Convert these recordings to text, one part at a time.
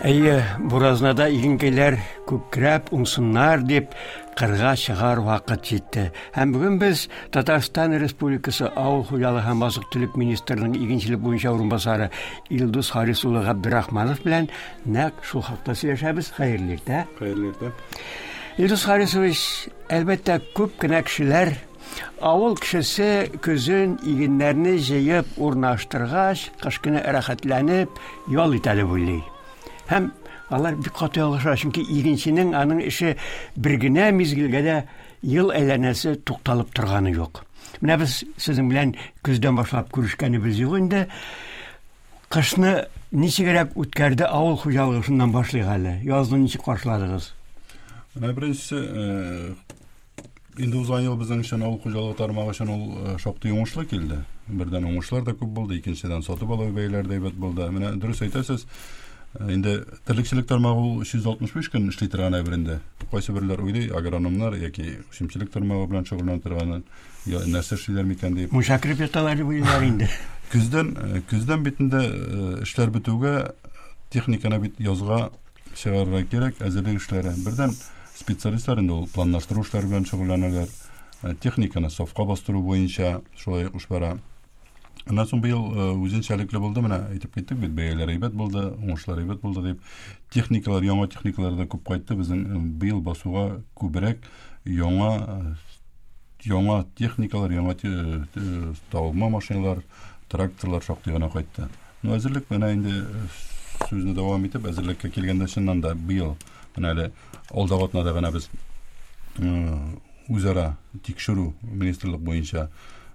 Әйе, буразнада игенкәйләр күкрәп уңсыннар дип кырга чыгар вакыт җитте. Һәм бүген без Татарстан Республикасы Авыл хуҗалыгы һәм азык-төлек министрының игенчелек буенча урынбасары Илдус Харис улы Габдрахманов белән нәкъ шул хакта сөйләшәбез. Хәерле иртә. Хәерле иртә. Илдус Харисович, әлбәттә, күп кенә кешеләр авыл кешесе көзен игеннәрне җыеп урнаштыргач, кыш көне рәхәтләнеп ял итә дип уйлый. Һәм алар бик каты ялгыша, чөнки игенченең аның эше бер генә мизгелгә дә ел әйләнәсе тукталып торганы юк. Менә без сезнең белән көздән башлап күрешкәнебез юк инде. Кышны ничегрәк үткәрде авыл хуҗалыгы шуннан башлыйк әле. Язны ничек каршыладыгыз? Менә беренчесе, э, инде узган ел безнең өчен авыл хуҗалыгы тармагы өчен ул э, шактый уңышлы килде. Бердән уңышлар да күп булды, икенчедән сатып алу бәяләре дә әйбәт булды. Менә дөрес әйтәсез, э, инде терлекчелек тармагы ул 365 көн эшли торган әйбер инде. Кайсы берләр уйлый, агрономнар яки үсемчелек тармагы белән шөгыльләнә торган Я, нәрсә эшлиләр микән дип. Мунча кереп яталар дип уйлыйлар инде. Көздән, э, көздән бит инде э, эшләр бетүгә техниканы бит язга чыгарырга кирәк, әзерлек эшләре. Бердән специалистлар инде ул планлаштыру эшләре белән шөгыльләнәләр. Э, техниканы сафка бастыру буенча шулай ук эш бара. Аннан соң быел үзенчәлекле булды, менә әйтеп киттек бит, бәяләр әйбәт булды, уңышлар әйбәт булды дип. Техникалар, яңа техникалар да күп кайтты. Безнең быел басуга күбрәк яңа Яңа техникалар, яңа тагылма машиналар, тракторлар шактый гына кайтты. Ну, әзерлек менә инде сүзне дәвам итеп, әзерлеккә килгәндә чыннан да быел менә әле алдагы атнада гына без үзара тикшерү министрлык буенча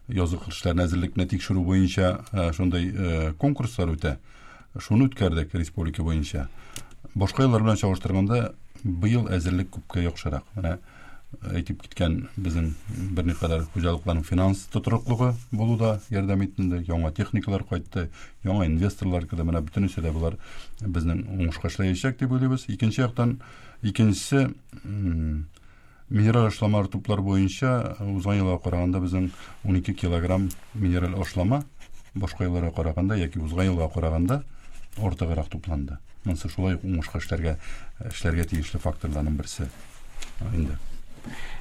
язгы кыр эшләренә әзерлекне тикшерү буенча шундый конкурслар үтә. Шуны үткәрдек республика буенча. Башка еллар белән чагыштырганда быел әзерлек күпкә яхшырак. Менә әйтеп киткән безнең берникадәр хуҗалыкларның финанс тотрыклыгы булу да ярдәм итте инде. Яңа техникалар кайтты, яңа инвесторлар керде. Менә бөтенесе дә болар безнең уңышка эшләячәк дип уйлыйбыз. Икенче яктан, икенчесе минераль ашламалар туплар буенча узган елга караганда безнең 12 килограмм минераль ашлама башка елларга караганда яки узган елга караганда артыграк тупланды. Монысы шулай ук уңышка эшләргә эшләргә тиешле факторларның берсе. Инде.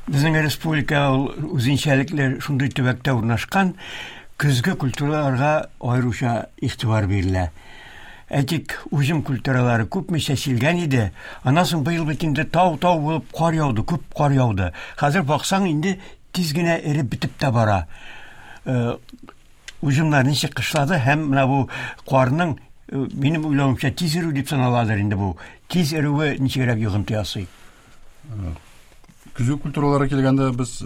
Безнең республика ул үзенчәлекле шундый төбәктә урнашкан, көзге культураларга аеруча игътибар бирелә. Әйтик, уҗым культуралары күпме чәчелгән иде. Аннан соң быел бит инде тау-тау булып кар яуды, күп кар яуды. Хәзер баксаң инде тиз генә эреп бетеп тә бара. Э, уҗымнар ничек кышлады һәм менә бу карның э, минем уйлавымча тиз эрү дип саналадыр инде бу. Тиз эрүе ничегрәк йогынты ясый? Э, көзге культураларга килгәндә без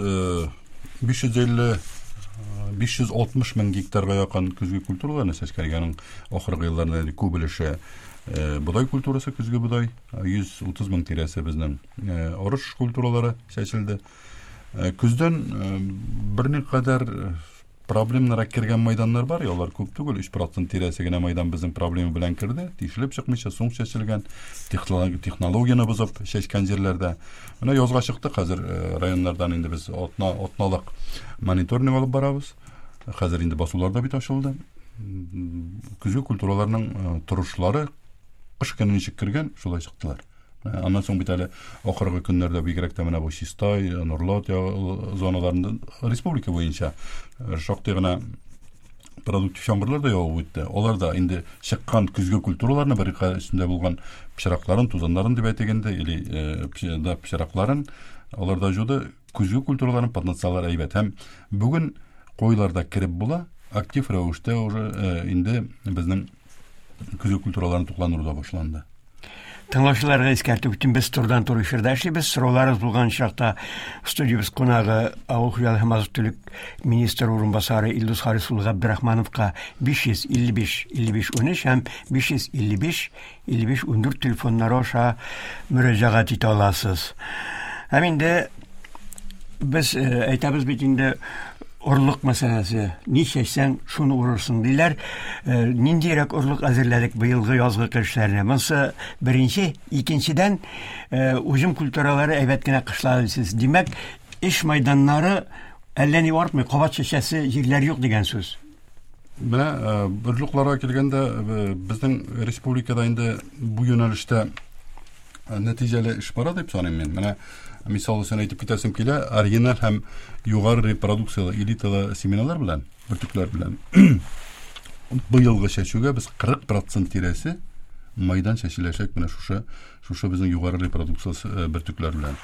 550 560 мең гектарга якын көзге культураларны чәчкән. Аның ахыргы елларда күп өлеше бодай культурасы, көзге бодай, 130 мең тирәсе безнең арыш культуралары чәчелде. Көздән берникадәр проблемнарга кергән майданнар бар, алар күп түгел, 3% тирәсе генә майдан безнең проблема белән керде, тишелеп чыкмыйча соң чәчелгән, технологияне бозып чәчкән җирләрдә. Менә язга чыктык, хәзер районнардан инде без атна, атналык мониторинг алып барабыз. Хәзер инде басулар да бит ачылды. Көзге культураларның торышлары кыш көне ничек кергән, шулай чыктылар. Э, аннан соң бит әле ахыргы көннәрдә бигрәк тә менә бу Чистай, Нурлат зоналарында республика буенча э, шактый гына продуктив яңгырлар да явып үтте. Алар да инде чыккан көзге культураларны бер өстендә булган пычракларын, тузаннарын дип әйтик инде, или э, да пычракларын алар да җуды. Көзге культураларның потенциаллары әйбәт. Һәм бүген коеларда кереп була, актив рәвештә уже инде безнең көзге культураларын тукландыру да башланды. Тыңлаучыларга искәртеп үтим, без турыдан-туры эфирда эшлибез. Сорауларыгыз булган очракта студиябез кунагы авыл хуҗалыгы һәм азык-төлек министры урынбасары Илдус Харис улы Габдрахмановка 555 55 13 һәм 555 55 14 телефоннары аша мөрәҗәгать итә аласыз. Һәм инде без э, әйтәбез бит инде орлык мәсьәләсе. Ни чәчсәң, шуны урырсың диләр. Э, ниндирәк орлык әзерләдек быелгы язгы кыр эшләренә? Монысы беренче, икенчедән, э, уҗым культуралары әйбәт кенә кышлады дисез. Димәк, эш майданнары әллә ни артмый, кабат чәчәсе җирләр юк дигән сүз. Менә орлыкларга килгәндә, безнең республикада инде бу юнәлештә нәтиҗәле эш бара дип саныйм мин. Менә мисал өчен әйтеп китәсем килә, оригиналь һәм югары репродукциялы элиталы семеналар белән, бөртекләр белән быелгы чәчүгә без 40% тирәсе майдан чәчеләчәк менә шушы шушы безнең югары репродукцияле э, бөртекләр белән.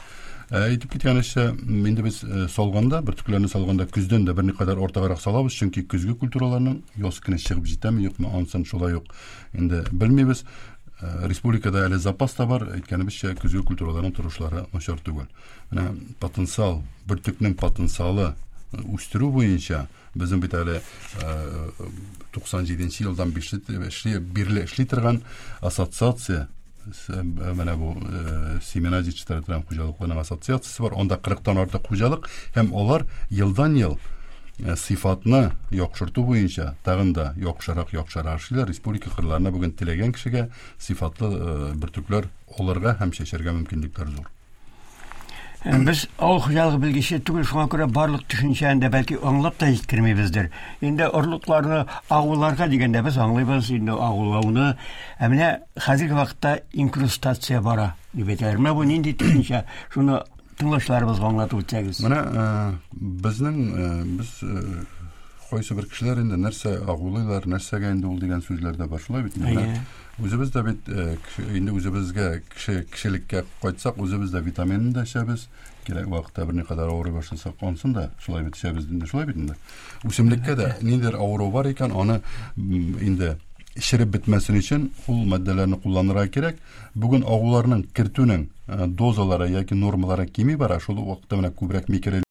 Э, әйтеп киткәнебезчә, инде без э, салганда, бөртекләрне салганда көздән дә берникадәр артыграк салабыз, чөнки көзге культураларның яз көне чыгып җитәме, юкмы, анысын шулай ук инде белмибез. Республикада әле запас та бар, әйткәнебезчә, көзге культураларның торышлары начар түгел. Менә потенциал, бөртекнең потенциалы үстерү буенча безнең бит әле 97 елдан эшли, бирле эшли торган ассоциация менә бу семена җитештерә торган хуҗалыкларның ассоциациясе бар. Анда 40-тан артык хуҗалык һәм алар елдан-ел сыйфатны яхшырту буенча тагын да яхшырак яхшырак эшлиләр. Республика кырларына бүген теләгән кешегә сыйфатлы бөртекләр алырга һәм чәчәргә мөмкинлекләр зур. Э, без авыл хуҗалыгы белгече түгел, шуңа күрә барлык төшенчәне дә бәлки аңлап та җиткермибездер. Инде орлыкларны агуларга дигәндә без аңлыйбыз инде агулауны. Ә менә хәзерге вакытта инкрустация бара дип әйтәләр. Менә бу нинди төшенчә? Шуны тыңлаучыларыбызга аңлатып үтсәгез. Менә э, безнең э, без кайсы бер кешеләр инде нәрсә агулыйлар, нәрсәгә инде ул дигән сүзләр дә бар. Шулай бит инде. Үзебез дә бит э, инде үзебезгә кеше кешелеккә кайтсак, үзебез дә витаминны да эчәбез. Кирәк вакытта берникадәр авырый башласак, ансын да шулай бит эчәбез инде, шулай бит инде. Үсемлеккә дә ниндидер авыру бар икән, аны инде череп бетмәсен өчен ул матдәләрне кулланырга кирәк. Бүген агуларның кертүнең э, дозалары яки нормалары кими бара, шул ук вакытта менә күбрәк микро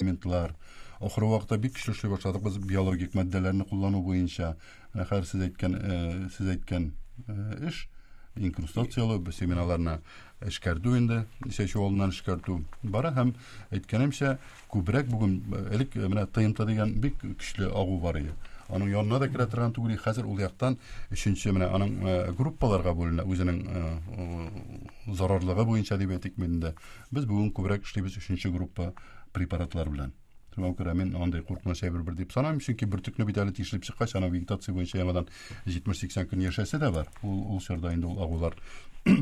элементлар. Ахыргы вакытта бик көчле эшли башладык без биологик матдәләрне куллану буенча. Менә хәзер сез әйткән, э, сез әйткән э, эш инкрустацияләү, семеналарны эшкәртү инде, чәчү алдыннан эшкәртү бара һәм әйткәнемчә, күбрәк бүген э, элек менә ТНТ дигән бик көчле агу бар иде. Аның янына да керә торган түгел, хәзер ул яктан өченче менә аның группаларга бүленә, үзенең зарарлыгы буенча дип әйтик инде. Без бүген күбрәк эшлибез өченче группа препаратлар белән. Шуңа күрә мин андый куркыныч әйбер бер дип санамыйм, чөнки бөртекне бит әле тишелеп чыккач, аның вегетация буенча яңадан 70-80 көн яшәсе дә бар. Ул ул чорда инде ул агулар э,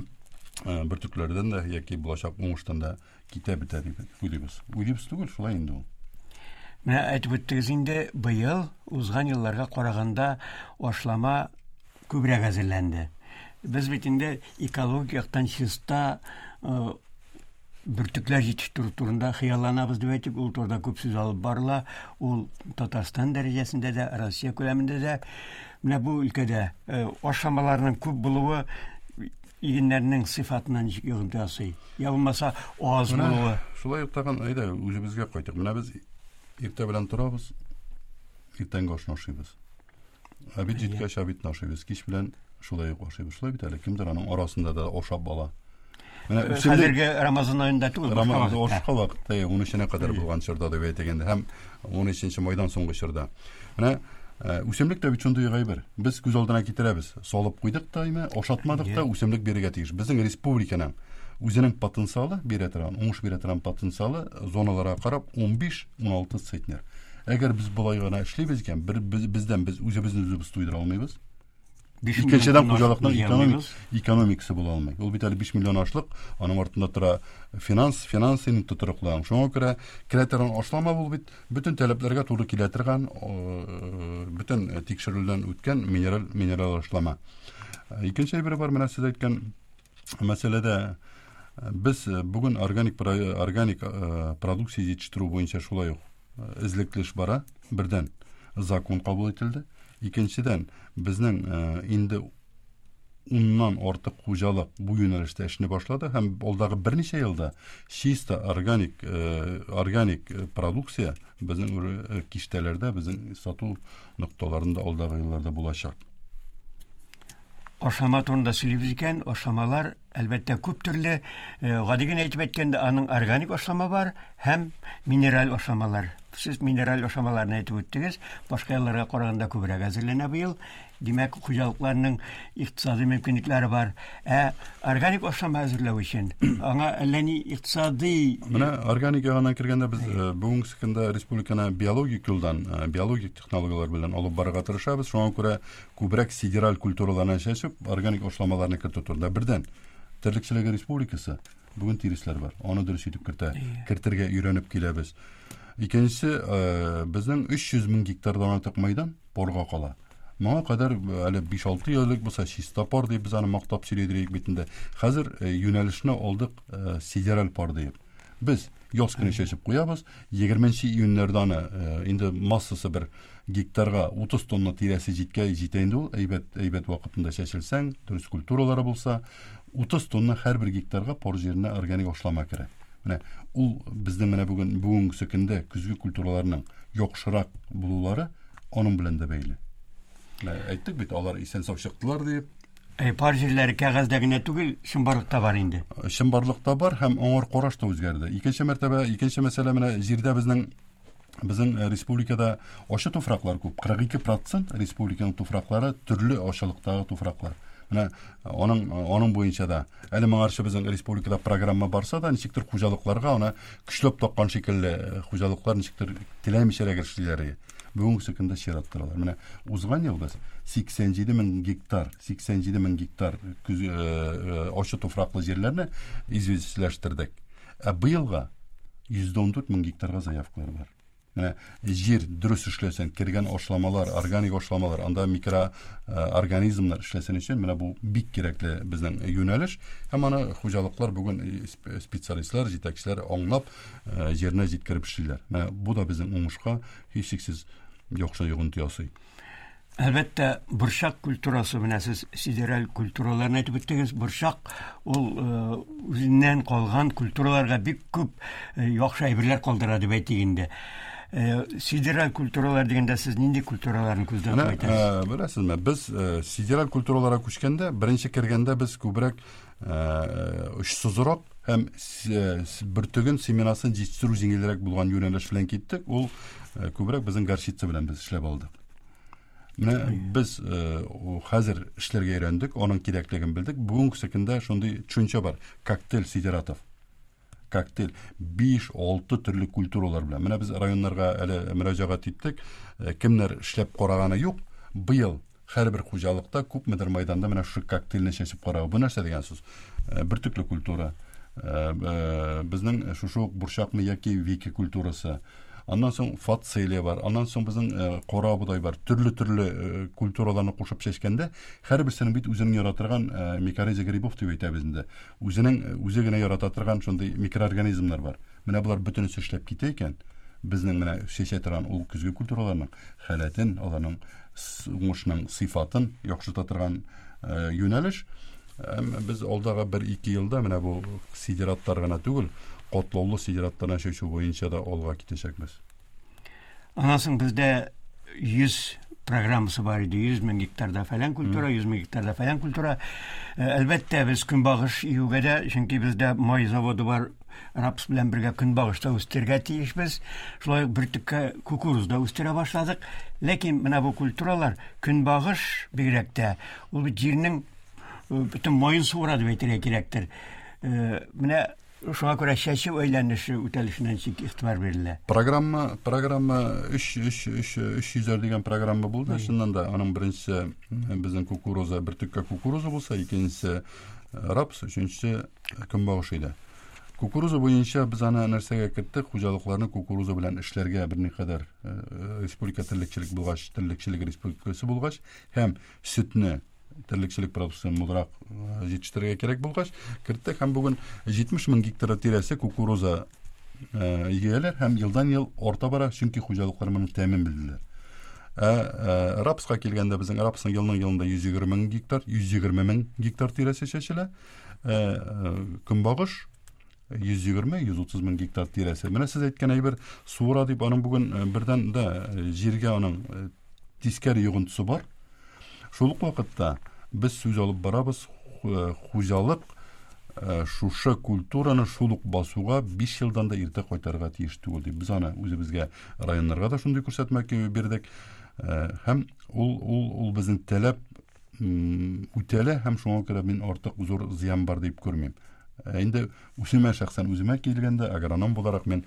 бөртекләрдән дә яки булачак уңыштан да китә бетә дип уйлыйбыз. Уйлыйбыз түгел, шулай инде ул. Менә әйтеп үттегез инде, быел узган елларга караганда ашлама күбрәк әзерләнде. Без бит инде экологик яктан чиста э, бөртекләр җитештерү турында хыялланабыз дип әйтик, ул турыда күп сүз алып барыла. Ул Татарстан дәрәҗәсендә дә, Россия күләмендә дә. Менә бу өлкәдә э, ашламаларның күп булуы игеннәрнең сыйфатына ничек йогынты ясый? Я булмаса аз булуы. Шулай ук тагын әйдә үзебезгә кайтыйк. Менә без иртә белән торабыз, иртәнге ашны ашыйбыз. Обед җиткәч, обедны ашыйбыз. Кич белән шулай ук ашыйбыз. Шулай бит әле. Кемдер аның арасында да ашап ала. Менә э, хәзерге Рамазан аенда түгел, Рамазан башка вакытта, 13-нә кадәр булган чорда дип әйтик инде һәм 13 майдан соңгы чорда. Менә э, үсемлек тә бит шундый әйбер. Без күз алдына китерәбез. Салып куйдык та, име, ашатмадык та, үсемлек бирергә тиеш. Безнең республиканың үзенең потенциалы бирә торган, уңыш бирә торган потенциалы зоналарга карап 15-16 центнер. Әгәр без болай гына эшлибез икән, бер без, бездән без үзебезне үзебез туйдыра алмыйбыз. Икенчедән хуҗалыкның экономик, экономикасы була алмый. Ул бит әле 5 миллион ашлык, аның артында тора финанс, финанс инде тотрыклы. Шуңа күрә керә торган ашлама бул бит бөтен таләпләргә туры килә торган, бөтен тикшерүдән үткән минераль минераль ашлама. Икенче әйбер бар, менә сез әйткән мәсьәләдә без бүген органик органик продукция җитештерү буенча шулай ук эзлекле эш бара. Бердән, закон кабул ителде. Икенчедән, безнең инде уннан артык хуҗалык бу юнәлештә эшне башлады һәм алдагы берничә елда чисто органик органик продукция безнең киштәләрдә, безнең сату нокталарында алдагы елларда булачак. Ашама турында сөйлибез икән, ашамалар Әлбәттә, күп төрле, гади генә әйтеп әйткәндә, аның органик ашлама бар һәм минераль ашламалар. Сез минераль ашламаларны әйтеп үттегез, башка елларга караганда күбрәк әзерләнә быел. Димәк, хуҗалыкларның икътисади мөмкинлекләре бар. Ә органик ашлама әзерләү өчен аңа әллә ни икътисади Менә органик ягыннан кергәндә без бүгенге көндә республиканы биологик юлдан, биологик технологияләр белән алып барырга тырышабыз. Шуңа күрә күбрәк сидераль культураларны чәчеп, органик ашламаларны кертү турында. Бердән, терлекчелеге республикасы бүген тиресләр бар. Аны дөрес итеп кертә, кертергә өйрәнеп киләбез. Икенчесе, безнең 300 мең гектардан артык мәйдан порга кала. Моңа кадәр әле 5-6 ел элек булса чиста пар дип без аны мактап сөйли идек бит инде. Хәзер юнәлешне алдык сидераль пар диеп. Без яз көне чәчеп куябыз, 20 июньнәрдә аны инде массасы бер гектарга 30 тонна тирәсе җиткә җитә инде ул, әйбәт, әйбәт вакытында чәчелсәң, дөрес культуралары булса, 30 тонна һәрбер гектарга пар җиренә органик ашлама керә. Менә ул безнең менә бүген бүгенге көндә көзге культураларның яхшырак булулары аның белән дә бәйле. Менә әйттек бит, алар исән сау чыктылар дип. Пар җирләре кәгазьдә генә түгел, чынбарлыкта бар инде. Чынбарлыкта бар һәм аңар караш та үзгәрде. Икенче мәртәбә, икенче мәсьәлә менә җирдә безнең безнең республикада ачы туфраклар күп. 42% республиканың туфраклары төрле ачылыктагы туфраклар. Менә аның аның буенча да әле моңарчы безнең республикада программа барса да, ничектер хуҗалыкларга аны көчләп таккан шикелле хуҗалыклар ничектер теләмичәрәк эшлиләр. Бүгенге көндә чират торалар. Менә узган ел без 87 мең гектар, 87 мең гектар көз, ачы туфраклы җирләрне известьләштердек. Ә быелга 114 мең гектарга заявкалар бар. Менә җир дөрес эшләсен, кергән ашламалар, органик ашламалар, анда микроорганизмнар эшләсен өчен менә бу бик кирәкле безнең юнәлеш. Һәм аны хуҗалыклар бүген специалистлар, җитәкчеләр аңлап, җиренә җиткереп эшлиләр. Менә бу да безнең уңышка һичшиксез яхшы йогынты ясый. Әлбәттә, борчак культурасы, менә сез сидераль культураларны әйтеп үттегез. Борчак ул үзеннән калган культураларга бик күп яхшы әйберләр калдыра дип әйтик инде. Сидераль культуралар дигәндә сез нинди культураларны күздә тотып әйтәсез? Беләсезме, без сидераль культураларга күчкәндә, беренче кергәндә без күбрәк очсызрак һәм бөртеген, семенасын җитештерү җиңелрәк булган юнәлеш белән киттек. Ул күбрәк безнең горчица белән без эшләп алдык. Менә без хәзер эшләргә өйрәндек, аның кирәклеген белдек. Бүгенге көндә шундый төшенчә бар: коктейль сидератов. Коктейль 5-6 төрле культуралар белән. Менә без районнарга әле мөрәҗәгать иттек. Кемнәр эшләп караганы юк, быел һәрбер хуҗалыкта күпмедер мәйданда менә шушы коктейльне чәчеп карау. Бу нәрсә дигән сүз? Бөртекле культура, безнең шушы ук борчакны яки вики культурасы, аннан соң фацелия бар, аннан соң безнең кара бодай бар. Төрле-төрле культураларны кушып чәчкәндә, һәрберсенең бит үзенең ярата торган микориза грибов дип әйтәбез инде. Үзенең үзе генә ярата торган шундый микроорганизмнар бар. Менә болар бөтенесе эшләп китә икән, безнең менә чәчә торган ул көзге культураларның халәтен, аларның уңышның сыйфатын яхшырта торган юнәлеш. Без алдагы 1-2 елда менә бу сидераттар гына түгел, катлаулы сидераттарны чәчү буенча да алга китәчәкбез. Аннан соң бездә 100 программасы бар иде. 100 мең гектарда фәлән культура, 100 мең гектарда фәлән культура. Әлбәттә, без көнбагыш игүгә дә, чөнки бездә май заводы бар, рапс белән бергә көнбагыш та үстерергә тиешбез. Шулай ук бөртеккә кукуруз да үстерә башладык. Ләкин менә бу культуралар, көнбагыш бигрәк тә, ул бит җирнең бөтен маен суыра дип әйтергә кирәктер. Менә шуңа күрә чәчү әйләнеше үтәлешенә ничек игътибар бирелә? Программа, программа 3 3 3 300 дигән программа булды. Чыннан да аның беренчесе безнең кукуруза, бөртеккә кукуруза булса, икенчесе рапс, өченчесе көнбагыш иде. Кукуруза буенча без аны нәрсәгә керттек? Хуҗалыкларны кукуруза белән эшләргә берникадәр республика терлекчелек булгач, терлекчелек республикасы булгач һәм сөтне терлекчелек продукциясен мулрак җитештерергә кирәк булгач, керттек һәм бүген 70 мең гектар тирәсе кукуруза игәләр һәм елдан-ел арта бара, чөнки хуҗалыклар моның тәмен белделәр. Ә рапска килгәндә безнең рапсның елның елында 120 мең гектар, 120 мең гектар тирәсе чәчелә. Көнбагыш 120-130 мең гектар тирәсе. Менә сез әйткән әйбер суыра дип, аның бүген бердән дә җиргә аның тискәре йогынтысы бар. Шул ук вакытта без сүз алып барабыз хуҗалык Шушы культураны шул ук басуга 5 елдан да иртә кайтарырга тиеш түгел дип. Без аны үзебезгә районнарга да шундый күрсәтмә бирдек. Һәм ул ул ул безнең таләп үтәлә һәм шуңа күрә мин артык зур зыян бар дип күрмим. Ә инде үземә шәхсән үземә килгәндә, агроном буларак мин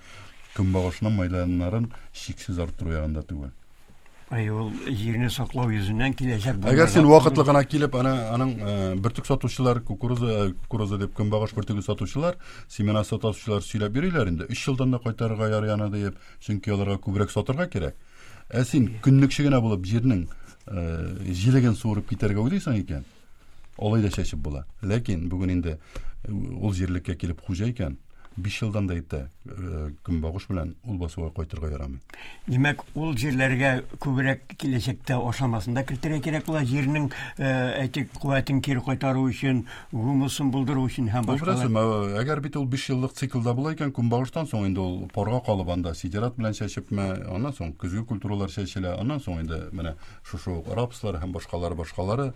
көнбагышның майланнарын чиксез арттыру ягында түгел. Ай, ул җирне саклау йөзеннән киләчәк. Әгәр син вакытлы гына килеп, ана аның э, бөртек сатучылар, кукуруза, э, кукуруза дип көнбагыш бөртеге сатучылар, семена сатучылар сөйләп йөриләр инде. 3 елдан да кайтарырга ярый аны диеп, чөнки аларга күбрәк сатырга кирәк. Ә син көнлекче генә булып җирнең э, җилеген суырып китәргә уйлыйсың икән, алай да чәчеп була. Ләкин бүген инде ул җирлеккә килеп хуҗа икән, 5 елдан да иртә э, көнбагыш белән ул басуга кайтырга ярамый. Димәк, ул җирләргә күбрәк киләчәктә ашламасын да кертергә кирәк була, җирнең, э, әйтик, куәтен кире кайтару өчен, гумусын булдыру өчен һәм башкалар. Беләсеңме, әгәр бит ул 5 еллык циклда була икән, көнбагыштан соң инде ул парга калып анда сидерат белән чәчепме, аннан соң көзге культуралар чәчелә, аннан соң инде менә шушы ук рапслар һәм башкалары башкалары.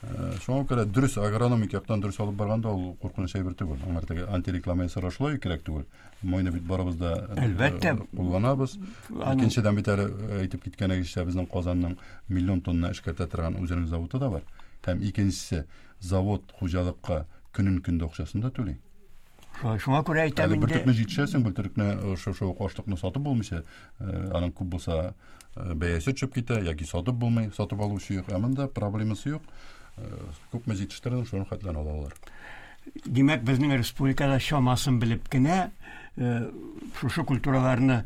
Э, шуңа күрә дөрес агрономик яктан дөрес алып барганда ул куркыныч әйбер түгел. Аңар теге антиреклама ясарга шулай кирәк түгел. Майны бит барыбыз да э, әлбәттә кулланабыз. Икенчедән бит әле э, әйтеп киткәнегезчә безнең Казанның миллион тонна эшкәртә торган үзенең заводы да бар. Һәм икенчесе завод хуҗалыкка көнен көндә акчасын да түли. Шуңа күрә әйтәм инде. Бөртекне җитешәсең, бөртекне э, шушы ук ашлыкны сатып булмыйча, э, аның күп булса э, бәясе төшеп китә яки сатып булмый, сатып алучы юк. Ә монда проблемасы юк. Күпме җитештердең, шуның хәтле алалар. Димәк, безнең республикада чамасын белеп кенә шушы культураларны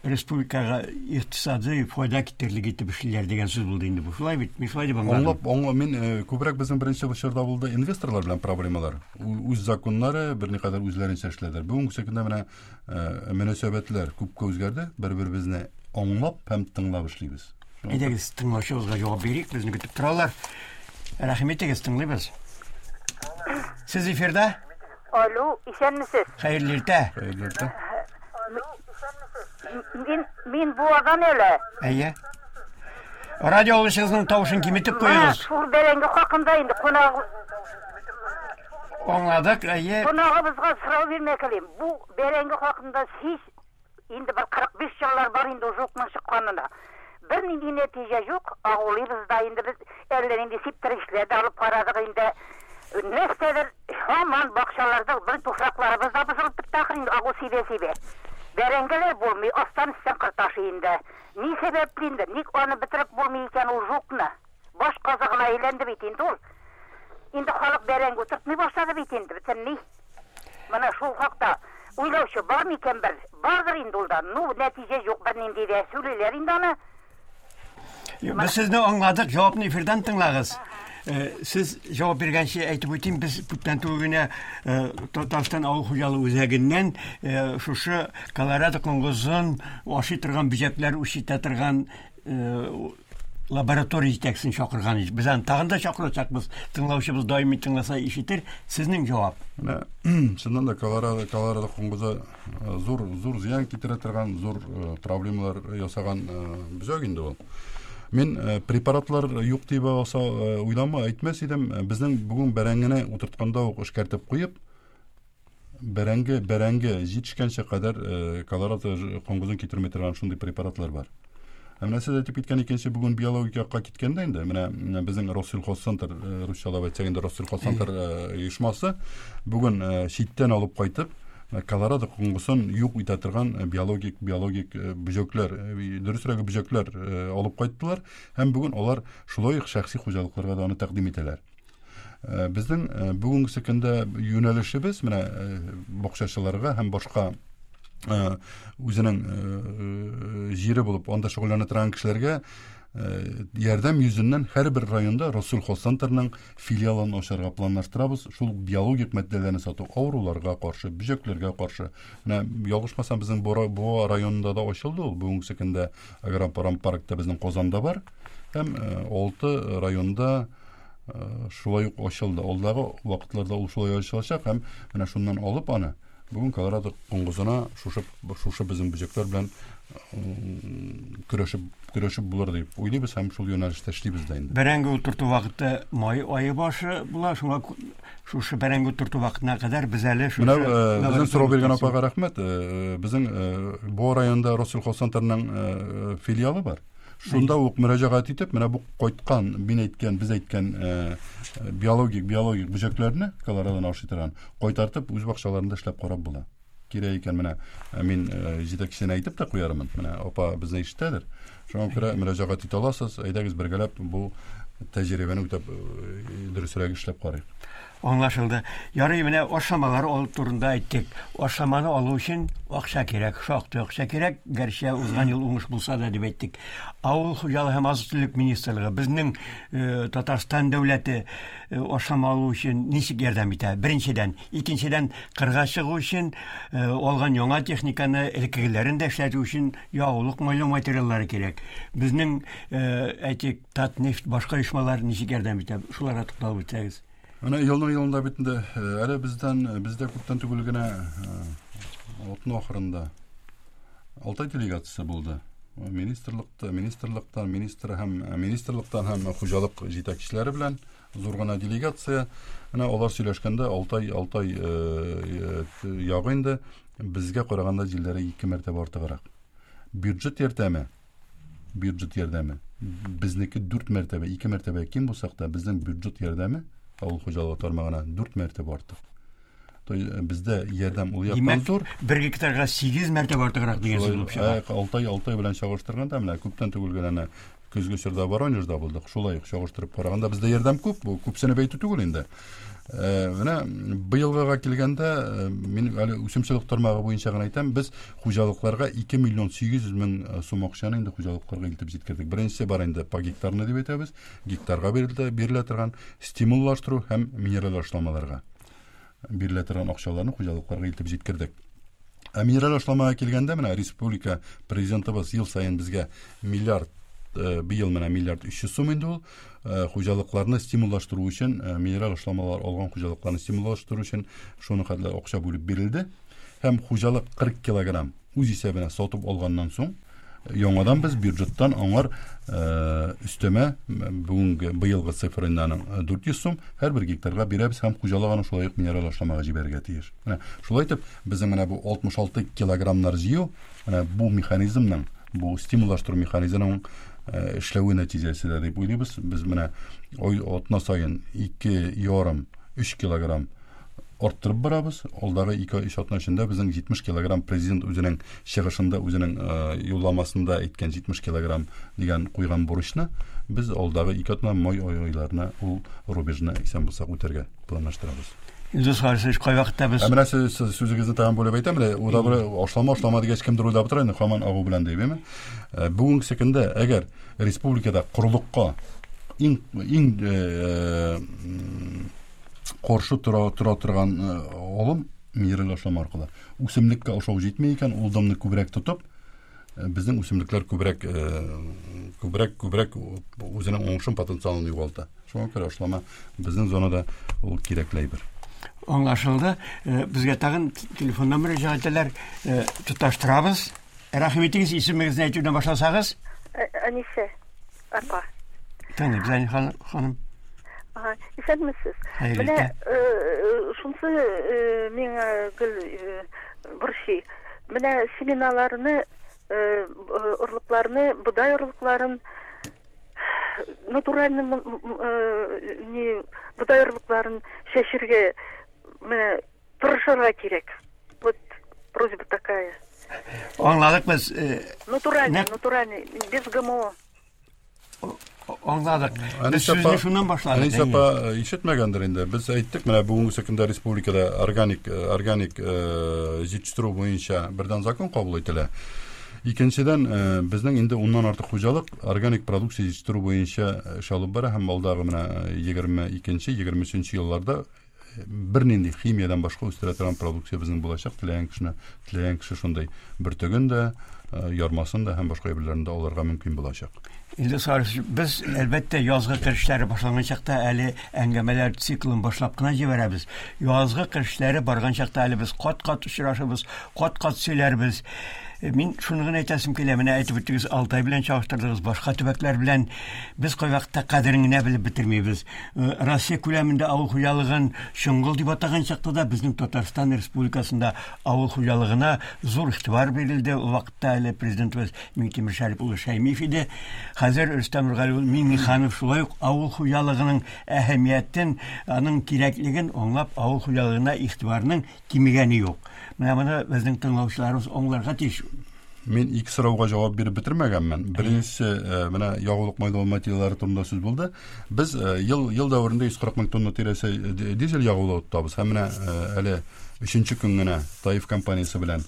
республикага икътисадый файда китерлек итеп эшлиләр дигән сүз булды инде бу. Шулай бит? Мин шулай дип аңладым. Аңлап, аңла, мин э, күбрәк безнең беренче чорда булды инвесторлар белән проблемалар. Үз законнары берникадәр үзләренчә эшләделәр. Бүгенге көндә менә э, мөнәсәбәтләр күпкә үзгәрде. Бер-беребезне аңлап һәм тыңлап эшлибез. Әйдәгез, тыңлаучыбызга җавап бирик, безне көтеп торалар. Рәхим итегез, тыңлыйбыз. Сез эфирда? Алло, исәнмесез. Хәерле иртә. Хәерле иртә. Мин, мин Буадан әле. Әйе. Радио алгычыгызның тавышын киметеп куегыз. Шул бәрәңге хакында инде кунак Аңладык, әйе. Кунагыбызга сорау бирмәк телим. Бу бәрәңге хакында һич Инде бер 45 еллар бар инде ул жукның чыкканына. Бернинди нәтиҗә юк, агулыйбыз да инде без, әллә нинди сиптергечләр дә алып карадык инде. Нәрсәдер һаман бакчаларда бер туфракларыбыз да бозылып бетте ахры инде агу сибә-сибә. Бәрәңгеләр булмый, астан өстән кыр ташый инде. Ни сәбәпле инде, ник аны бетереп булмый икән ул жукны? Баш казыгына әйләнде бит инде ул. Инде халык бәрәңге утыртмый башлады бит инде, бөтенләй. Менә шул хакта уйлаучы бар микән бер? Бардыр инде ул да. Ну, нәтиҗә юк бернинди дә. Сөйлиләр инде аны. Без сезне аңладык, җавапны эфирдан тыңлагыз. Э, сез җавап биргәнче әйтеп үтим, без күптән түгел генә э, Татарстан авыл хуҗалыгы үзәгеннән э, шушы Колорадо коңгызын ашый торган бөҗәкләр үрчетә торган лаборатория җитәкчесен чакырган идек. Без аны тагын да чакырачакбыз. Тыңлаучыбыз даими тыңласа ишетер. Сезнең җавап. Менә чыннан да Колорадо, Колорадо коңгызы э, зур зур зыян китерә торган, зур э, проблемалар ясаган э, бөҗәк инде ул. Мин препаратлар юк дип алса уйлама, әйтмәс идем. Безнең бүген бәрәңгене утыртканда ук эшкәртеп куеп, бәрәңге, бәрәңге җитешкәнчә кадәр э, колорадо коңгызын китерми торган шундый препаратлар бар. Ә менә сез әйтеп киткән икенче бүген биологик якка киткәндә инде, менә безнең Россельхозцентр, э, русчалап әйтсәк инде Россельхозцентр э, оешмасы бүген э, читтән алып кайтып, колорадо коңгызын юк итә торган биологик биологик бөҗәкләр, дөресрәге бөҗәкләр алып кайттылар һәм бүген алар шулай ук шәхси хуҗалыкларга да аны тәкъдим итәләр. Э, безнең э, бүгенге көндә юнәлешебез менә э, бакчачыларга һәм башка үзенең җире булып анда шөгыльләнә торган кешеләргә ярдәм йөзеннән һәрбер районда Россельхозцентрның филиалын ачарга планлаштырабыз. Шул биологик матдәләрне сату авыруларга каршы, бөҗәкләргә каршы. Менә ялгышмасам, безнең Буа районында да ачылды ул. Бүгенге көндә агропромпаркта безнең Казанда бар. Һәм 6 районда Э, шулай ук ачылды. Алдагы вакытларда ул шулай ачылачак һәм менә шуннан алып аны бүген Колорадо коңгызына шушы шушы безнең бөҗәкләр белән көрәшеп көрәшеп булыр дип уйлыйбыз һәм шул юнәлештә эшлибез дә инде. Бәрәңге утырту вакыты май ае башы була, шуңа Шушы бәрәңге утырту вакытына кадәр без әле шушы Менә безнең сорау биргән апага рәхмәт. Безнең Буа районында Россельхозцентрның филиалы бар. Шунда ук мөрәҗәгать итеп, менә бу кайткан, мин әйткән, без әйткән биологик биологик бөҗәкләрне, колорадоны ашый торган, кайтартып үз бакчаларында эшләп карап була. Кирәк икән, менә мин җитәкчесенә әйтеп тә куярмын. Менә апа безне ишетәдер. Шуңа күрә мөрәҗәгать итә аласыз. Әйдәгез бергәләп бу тәҗрибәне үтәп дөресрәк эшләп карыйк. Аңлашылды. Ярый, менә ашламалар алу турында әйттек. Ашламаны алу өчен акча кирәк, шактый акча кирәк, гәрчә узган ел уңыш булса да дип әйттек. Авыл хуҗалыгы һәм азык-төлек министрлыгы безнең Татарстан дәүләте ашлама алу өчен ничек ярдәм итә? Беренчедән, икенчедән, кырга чыгу өчен алган яңа техниканы элеккегеләрен дә эшләтү өчен ягулык майлау материаллары кирәк. Безнең, әйтик, Татнефть, башка оешмалар ничек ярдәм итә? Шуларга тукталып үтсәгез. Менә елның елында бит инде әле бездән бездә күптән түгел генә атна ахырында Алтай делегациясе булды. Министрлыкта, министрлыктан, министр һәм министрлыктан һәм хуҗалык җитәкчеләре белән зур гына делегация. Менә алар сөйләшкәндә Алтай Алтай ягы инде безгә караганда җилләре ике мәртәбә артыграк. Бюджет ярдәме, бюджет ярдәме безнеке дүрт мәртәбә, ике мәртәбә ким булсак та, безнең бюджет ярдәме авыл хуҗалыгы тармагына дүрт мәртәбә артык. То бездә ярдәм ул яктан зур. Бер гектарга 8 мәртәбә артыграк дигән сүз булып чыга. Алтай Алтай белән чагыштырганда менә күптән түгел генә көзге чорда Воронежда булдык. Шулай ук чагыштырып караганда бездә ярдәм күп, бу күпсенеп әйтү түгел инде. Менә быелгыга килгәндә, мин әле үсемчелек тармагы буенча гына әйтәм, без хуҗалыкларга 2 миллион 800 мең сум акчаны инде хуҗалыкларга илтеп җиткердек. Беренчесе бар инде по гектарны дип әйтәбез, гектарга бирелә, бирелә торган стимуллаштыру һәм минераль ашламаларга бирелә торган акчаларны хуҗалыкларга илтеп җиткердек. Ә минераль ашламага килгәндә, менә республика президентыбыз ел саен безгә миллиард, быел менә миллиард 300 сум инде ул, хуҗалыкларны стимуллаштыру өчен, минераль ашламалар алган хуҗалыкларны стимуллаштыру өчен шуны хәтле акча бүлеп бирелде. Һәм хуҗалык 40 килограмм үз исәбенә сатып алганнан соң, яңадан без бюджеттан аңар өстәмә бүгенге быелгы цифр инде аның 400 сум һәрбер гектарга бирәбез һәм хуҗалык аны шулай ук минераль ашламага җибәрергә тиеш. Менә шулай итеп безнең менә бу 66 килограммнар җыю, менә бу механизмның, бу стимуллаштыру механизмының эшләве нәтиҗәсе дә дип уйлыйбыз. Без менә ай атна саен 2,5-3 килограмм арттырып барабыз. Алдагы 2-3 атна эчендә безнең 70 килограмм президент үзенең чыгышында, үзенең юлламасында әйткән 70 килограмм дигән куйган бурычны без алдагы 2 атна май айларына ул рубежны исән булсак үтәргә планлаштырабыз. Илдус Харисович, кайвакытта без Ә менә сез сүзегезне тагын бүлеп әйтәм, менә уйлап ашлама, ашлама дигәч кемдер уйлап тора инде, һаман агу белән дип, әйеме? Бүгенге көндә әгәр республикада корылыкка иң иң каршы тора, тора торган алым минераль ашлама аркылы. Үсемлеккә ашау җитми икән, ул дымны күбрәк тотып, безнең үсемлекләр күбрәк, күбрәк, күбрәк үзенең уңышын потенциалын югалта. Шуңа күрә ашлама безнең зонада ул кирәкле әйбер. Аңлашылды. Безгә тагын телефоннан мөрәҗәгать итәләр. Тоташтырабыз. Рәхим итегез, исемегезне әйтүдән башласагыз. Әнисе, апа. Тыңлыйбыз, Әни ханым. Ага, исәнмесез. Менә шунсы миңа гел борчый. Менә семеналарны, орлыкларны, бодай орлыкларын натуральный не бодай орлыкларын чәчергә менә тырышырга кирәк. Вот просьба такая. Аңладык без. Натуральный, натуральный, без ГМО. Аңладык. Без сүзне шуннан башладык. Әнисә апа ишетмәгәндер инде. Без әйттек, менә бүгенге көндә республикада органик, органик җитештерү буенча бердән закон кабул ителә. Икенчедән, безнең инде уннан артык хуҗалык органик продукция җитештерү буенча эш алып бара һәм алдагы менә егерме икенче, егерме өченче елларда бернинди химиядән башка үстерә торган продукция безнең булачак. Теләгән кешене, теләгән кеше шундый бөртеген дә, ярмасын да һәм башка әйберләрне дә алырга мөмкин булачак. Илдус Харисович, без, әлбәттә, язгы кыр эшләре башланган чакта әле әңгәмәләр циклын башлап кына җибәрәбез. Язгы кыр эшләре барган чакта әле без кат-кат очрашырбыз, кат-кат сөйләрбез. Мин шуны гына әйтәсем килә, менә әйтеп үттегез, Алтай белән чагыштырдыгыз, башка төбәкләр белән без кайвакытта кадерен генә белеп бетермибез. Россия күләмендә авыл хуҗалыгын чоңгыл дип атаган чакта да безнең Татарстан Республикасында авыл хуҗалыгына зур игътибар бирелде. Ул вакытта әле президентыбыз Миңтимер Шәрип улы Шәймиев иде. Хәзер Рөстәм Нургали улы Миңнеханов шулай ук авыл хуҗалыгының әһәмиятен, аның кирәклеген аңлап, авыл хуҗалыгына игътибарның кимегәне юк. Менә моны безнең тыңлаучыларыбыз аңларга тиеш. Мин ике сорауга җавап биреп бетермәгәнмен. Беренчесе, менә ягулык майлау материаллары турында сүз булды. Без ел ел дәверендә 140 мең тонна тирәсе дизель ягулыгы тотабыз. Һәм менә әле өченче көн генә Таиф компаниясе белән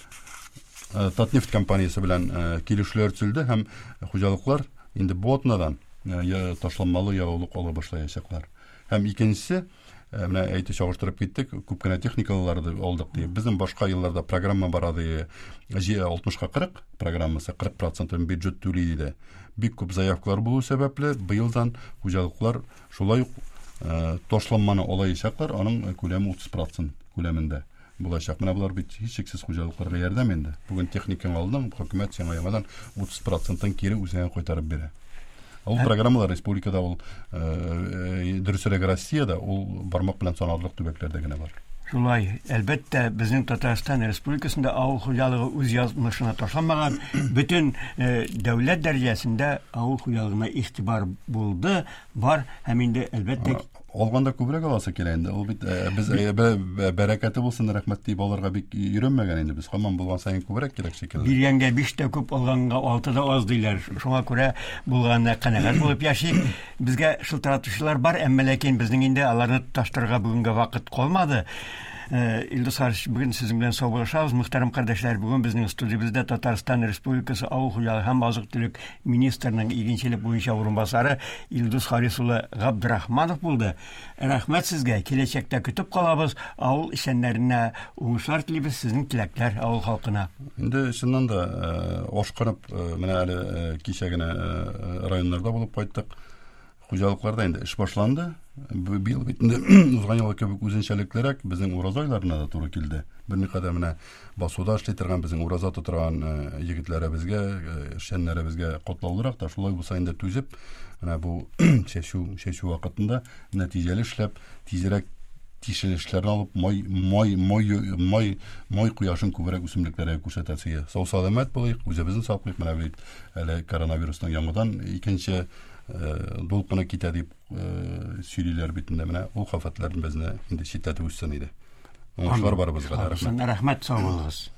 Татнефть компаниясе белән килешүләр төзелде һәм хуҗалыклар инде бу атнадан ташламалы ягулык ала башлаячаклар. Һәм икенчесе, менә әйтеп чагыштырып киттек, күп кенә техникалар алдык дип. Безнең башка елларда программа бар иде, 60-ка 40 программасы, 40 процентын бюджет түли диде. Бик күп заявкалар булу сәбәпле, быелдан хуҗалыклар шулай ук ташламаны алаячаклар, аның күләме 30 процент күләмендә булачак. Менә болар бит һичшиксез хуҗалыкларга ярдәм инде. Бүген техникаңны алдың, хөкүмәт сиңа яңадан 30 процентын кире үзеңә кайтарып бирә. Ул программалар республикада ул, дөресрәге Россиядә ул бармак белән санарлык төбәкләрдә генә бар. Шулай, әлбәттә, безнең Татарстан Республикасында авыл хуҗалыгы үз язмышына ташланмаган, бөтен дәүләт дәрәҗәсендә авыл хуҗалыгына игътибар булды, бар һәм инде, әлбәттә, Алганда күбрәк аласы килә инде. Ул бит без бәрәкәте булсын, рәхмәт дип алырга бик өйрәнмәгән инде без. Һаман булган саен күбрәк кирәк шикелле. Биргәнгә 5 тә күп, алганга 6 да аз диләр. Шуңа күрә булганына канәгать булып яшик. Безгә шылтыратучылар бар, әмма ләкин безнең инде аларны тоташтырырга бүгенгә вакыт калмады. Илдус Харисович, бүген сезнең белән саубуллашабыз. Мөхтәрәм кардәшләр, бүген безнең студиябездә Татарстан Республикасы Авыл хуҗалыгы һәм азык-төлек министрының игенчелек буенча урынбасары Илдус Харис улы Габдрахманов булды. Рәхмәт сезгә, киләчәктә көтеп калабыз, авыл эшчәннәренә уңышлар телибез, сезнең теләкләр авыл халкына. Инде чыннан да ашкынып, менә әле кичә генә районнарда булып кайттык. Хуҗалыкларда инде эш башланды. Быел бит инде узган елгы кебек үзенчәлеклерәк безнең ураза айларына да туры килде. Берникадәр менә басуда эшли торган безнең ураза тоторган егетләребезгә, эшчәннәребезгә катлаулырак та, шулай булса инде түзеп, менә бу чәчү, чәчү вакытында нәтиҗәле эшләп, тизрәк тишелешләрне алып, май, май, май, май, май кояшын күбрәк үсемлекләргә күрсәтәсе. Сау-сәламәт булыйк, үзебезне саклыйк. Менә бит әле коронавирусның яңадан икенче дулкыны китә дип сөйлиләр бит инде. Менә ул хафәтләрне безне инде читләтеп үтсен иде. Уңышлар барыбызга да. Рәхмәт. Рәхмәт, сау булыгыз.